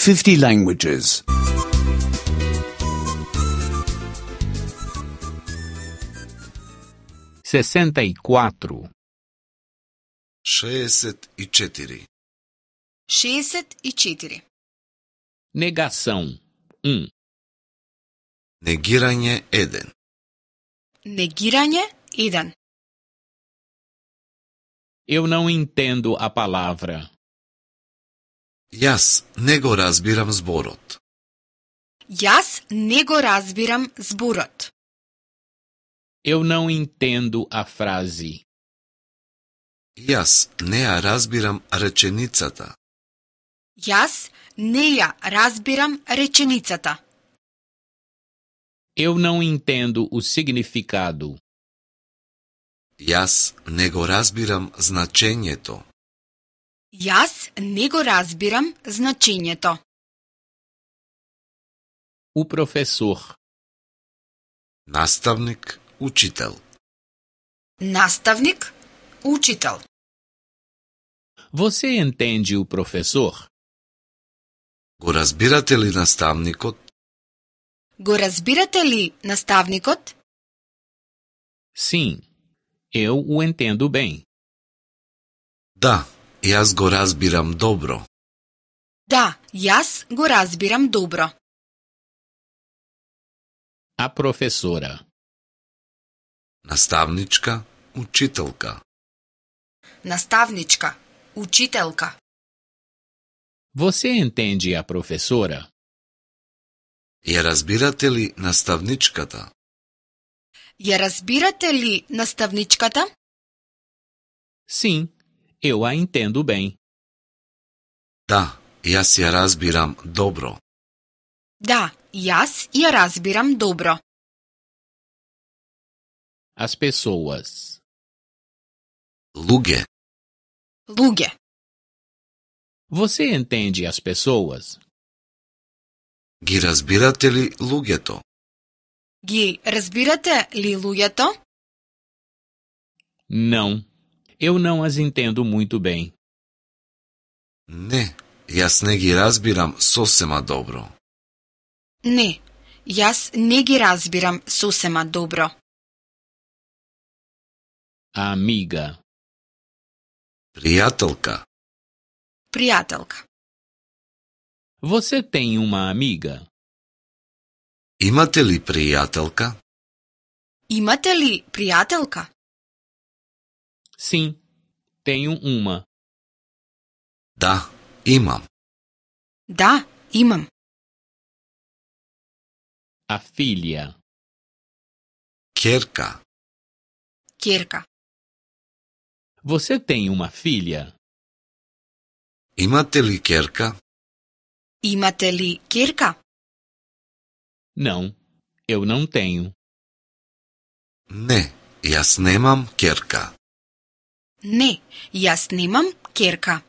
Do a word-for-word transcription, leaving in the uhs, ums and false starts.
fifty languages. sessenta e quatro. шеесет и четири. шеесет и четири. Negação um. Негирање еден. Негирање еден. Eu não entendo a palavra. Јас не го разбирам зборот. Јас не го разбирам зборот. Eu não entendo a frase. Јас не ја разбирам реченицата. Јас не ја разбирам реченицата. Eu não entendo o significado. Јас не го разбирам значењето. Јас не го разбирам значењето. O professor. Наставник, учител. Наставник, учител. Você entende o professor? Го разбирате ли наставникот? Го разбирате ли наставникот? Sim, eu o entendo bem. Да, јас го разбирам добро. Да, јас го разбирам добро. A professora. Наставничка, учителка. Наставничка, учителка. Você entende a professora? Ја разбирате ли наставничката? Ја разбирате ли наставничката? Sim, eu a entendo bem. Да, јас ја разбирам добро. Да, јас ја разбирам добро. As pessoas. Луѓе. Луѓе. Você entende as pessoas? Ги разбирате ли луѓето? Ги разбирате ли луѓето? Não, eu não as entendo muito bem. Не, јас не ги разбирам сосема добро. Не, јас не ги разбирам сосема добро. A amiga. Пријателка. Пријателка. Você tem uma amiga? Имате ли пријателка? Имате ли пријателка? Sim, tenho uma. Да, имам. Да, имам. A filha. Ќерка. Ќерка. Você tem uma filha? Имате ли ќерка? Имате ли ќерка? Não, eu não tenho. Не, јас немам ќерка. Не, јас немам ќерка.